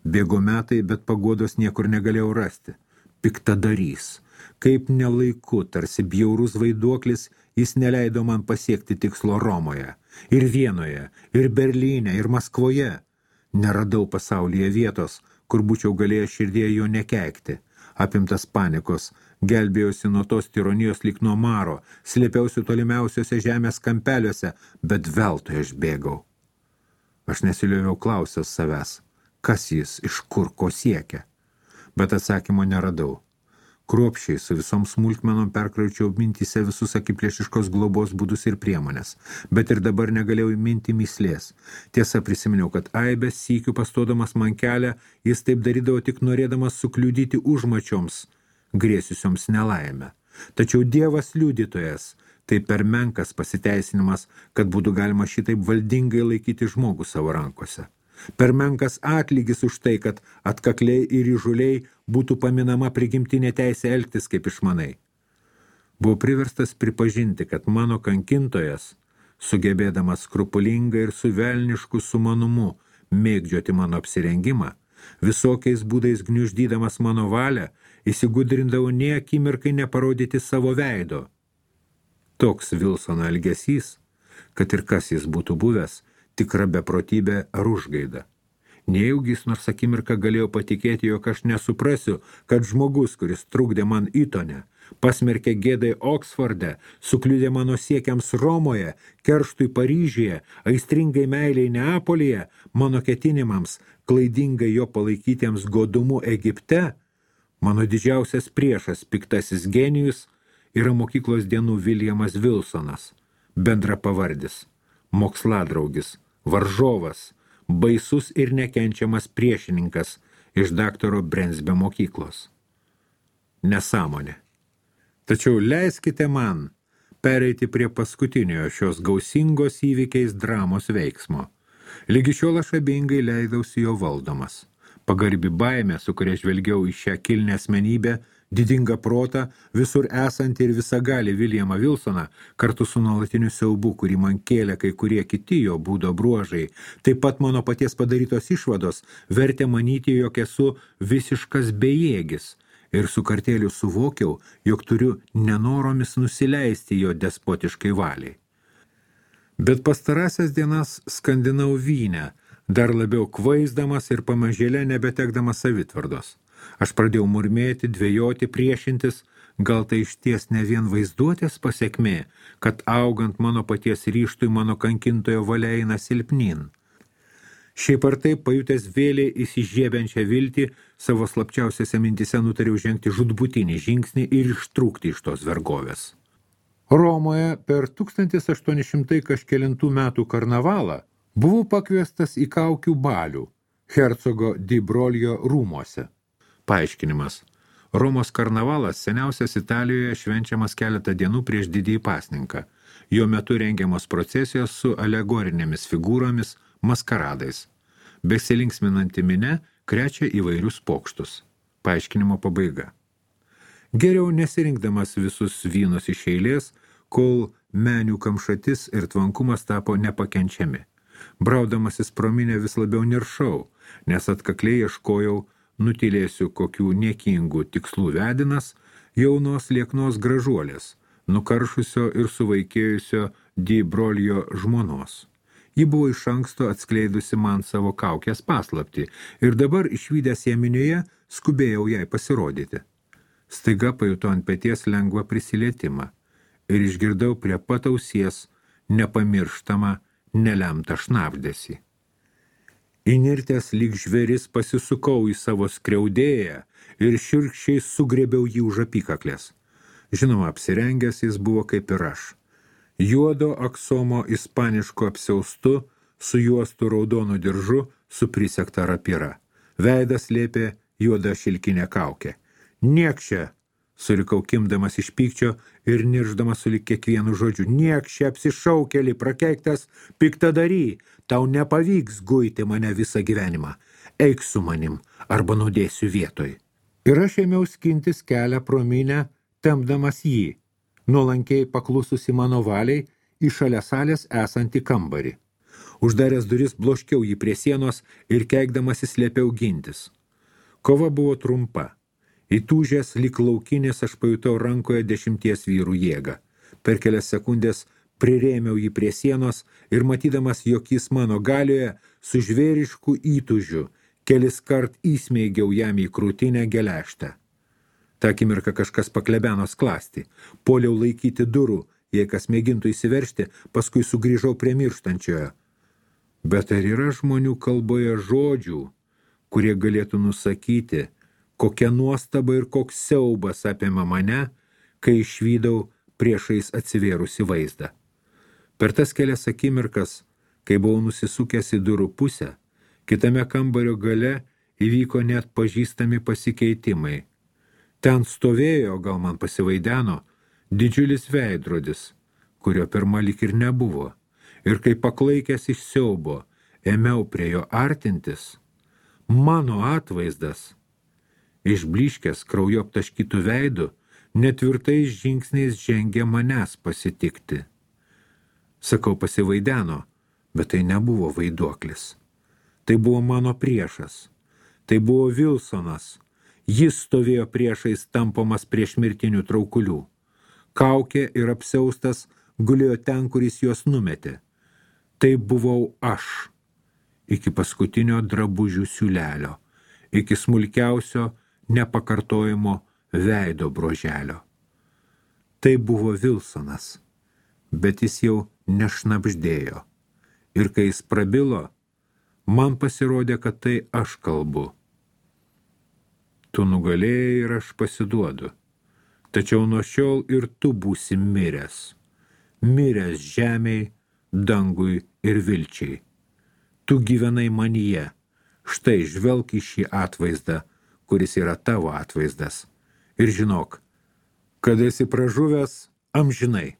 Bėgo metai, bet paguodos niekur negalėjau rasti. piktadarys. Kaip nelaiku, tarsi bjaurus vaiduoklis, jis neleido man pasiekti tikslo Romoje. Ir Vienoje, ir Berlyne, ir Maskvoje. Neradau pasaulyje vietos, kur būčiau galėjęs širdėje jo nekeikti. Apimtas panikos, gelbėjausi nuo tos tironijos lyg nuo maro, slėpiausi tolimiausiuose žemės kampeliuose, bet veltui aš bėgau. Aš nesilioviau klausęs savęs, kas jis, iš kur, ko siekia. Bet atsakymo neradau. Kruopščiai su visom smulkmenom perkraučiau mintyse visus akiplėšiškos globos būdus ir priemonės, bet ir dabar negalėjau įminti myslės. Tiesa, prisiminiau, kad aibės sykių pastodamas man kelią, jis taip darydavo tik norėdamas sukliudyti užmačioms, grėsiusioms nelaimę. Tačiau Dievas liudytojas, tai per menkas pasiteisinimas, kad būtų galima šitaip valdingai laikyti žmogų savo rankose. Per menkas atlygis už tai, kad atkakliai ir įžuliai būtų paminama prigimtinė teisė elgtis kaip išmanai. Buvau priverstas pripažinti, kad mano kankintojas, sugebėdamas skrupulingai ir su velnišku sumanumu mėgdžioti mano apsirengimą, visokiais būdais gniuždydamas mano valią, įsigudrindavo nė akimirkai neparodyti savo veido. Toks Vilsono elgesys, kad ir kas jis būtų buvęs, tikra beprotybė ar užgaida. Nejaugi jis nors akimirką galėjo patikėti, jog aš nesuprasiu, kad žmogus, kuris trukdė man Itone, pasmerkė gėdai Oksforde, sukliudė mano siekiams Romoje, kerštui Paryžiuje, aistringai meiliai Neapolyje, mano ketinimams, klaidingai jo palaikytiems godumu Egipte, mano didžiausias priešas, piktasis genijus, yra mokyklos dienų Viljamas Vilsonas, bendra pavardis, moksładraugis, varžovas, baisus ir nekenčiamas priešininkas iš daktaro Brensbio mokyklos. Nesąmonė. Tačiau leiskite man pereiti prie paskutiniojo šios gausingos įvykiais dramos veiksmo. Lygi šiol aš abejingai leidausi jo valdomas. Pagarbi baimė, su kuria žvelgiau į šią kilnią asmenybę, didingą protą, visur esantį ir visagalį Viljamą Vilsoną, kartu su nuolatiniu siaubu, kurį man kėlė kai kurie kiti jo būdo bruožai, taip pat mano paties padarytos išvados, vertė manyti, jog esu visiškas bejėgis, ir su kartėliu suvokiau, jog turiu nenoromis nusileisti jo despotiškai valiai. Bet pastarąsias dienas skandinau vyne, dar labiau kvaizdamas ir pamažėlė nebetekdamas savitvardos. Aš pradėjau murmėti, dvejoti, priešintis, gal tai išties ne vien vaizduotės pasekmė, kad augant mano paties ryštui mano kankintojo valia eina silpnin. Šiaip ar taip, pajutęs vėlį įsižiebiančią viltį, savo slapčiausiose mintise nutariau žengti žudbutinį žingsnį ir ištrūkti iš tos vergovės. Romoje per tūkstantis aštuoni šimtai kažkelintų metų karnavalą buvau pakviestas į kaukių balių hercogo Di Broglio rūmuose. Paaiškinimas. Romos karnavalas seniausias Italijoje švenčiamas keletą dienų prieš didįjį pasninką. Jo metu rengiamos procesijos su alegorinėmis figūromis, maskaradais. Besilinksminanti minia krečia įvairius pokštus. Paaiškinimo pabaiga. Geriau nesirinkdamas visus vynus iš eilės, kol menių kamšatis ir tvankumas tapo nepakenčiami. Braudamasis pro minę vis labiau niršau, nes atkakliai ieškojau nutilėsiu kokių niekingų tikslų vedinas jaunos lieknos gražuolės, nukaršusio ir suvaikėjusio Di Broglio žmonos. Ji buvo iš anksto atskleidusi man savo kaukės paslaptį ir dabar išvydęs ją minioje skubėjau jai pasirodyti. Staiga pajutau ant peties lengvą prisilietimą ir išgirdau prie pat ausies nepamirštamą, nelemtą šnabždesį. Įnirtęs lyg žvėris pasisukau į savo skriaudėją ir šiurkščiai sugrėbiau jį už apykaklės. Žinoma, apsirengęs jis buvo kaip ir aš. Juodo aksomo ispaniško apsiaustu, su juostu raudonu diržu, su prisegta rapira. Veidas lėpė juoda šilkinė kaukė. Niekšė, surikau kimdamas iš pykčio ir nirždamas sulig kiekvienu žodžiu. Niekšė apsišaukėlį, prakeiktas piktadary, tau nepavyks guiti mane visą gyvenimą. Eik su manim, arba nudėsiu vietoj. Ir aš ėmiau skintis kelią pro minę, tempdamas jį, nuolankiai paklususi mano valiai į šalia salės esantį kambarį. Uždaręs duris bloškiau jį prie sienos ir keikdamasi slėpiau gintis. Kova buvo trumpa. Įtūžęs lyg laukinis aš pajutau rankoje dešimties vyrų jėgą. Per kelias sekundės prirėmiau jį prie sienos ir matydamas, jog jis mano galioje, su žvėrišku įtūžiu kelis kart įsmeigiau jam į krūtinę geležtę. Ta akimirka kažkas paklebeno sklastį. Puoliau laikyti durų, jei kas mėgintų įsiveržti, paskui sugrįžau prie mirštančiojo. Bet ar yra žmonių kalboje žodžių, kurie galėtų nusakyti, kokia nuostaba ir koks siaubas apėmė mane, kai išvydau priešais atsivėrusi vaizdą. Per tas kelias akimirkas, kai buvau nusisukęs į durų pusę, kitame kambario gale įvyko net pažįstami pasikeitimai. Ten stovėjo, gal man pasivaideno, didžiulis veidrodis, kurio pirma lyg ir nebuvo. Ir kai paklaikęs iš siaubo, ėmiau prie jo artintis, mano atvaizdas, išbliškęs kraujo aptaškytų veidų, netvirtais žingsniais žengė manęs pasitikti. Sakau, pasivaideno, bet tai nebuvo vaiduoklis. Tai buvo mano priešas. Tai buvo Vilsonas. Jis stovėjo priešais tampomas prieš mirtinių traukulių. Kaukė ir apsiaustas gulėjo ten, kuris juos numetė. Tai buvau aš. Iki paskutinio drabužių siūlelio. Iki smulkiausio nepakartojimo veido broželio. Tai buvo Vilsonas. Bet jis jau nešnabždėjo. Ir kai jis prabilo, man pasirodė, kad tai aš kalbu. Tu nugalėjai ir aš pasiduodu. Tačiau nuo šiol ir tu būsi miręs. Miręs žemei, dangui ir vilčiai. Tu gyvenai manyje. Štai žvelk į šį atvaizdą, kuris yra tavo atvaizdas. Ir žinok, kad esi pražuvęs amžinai.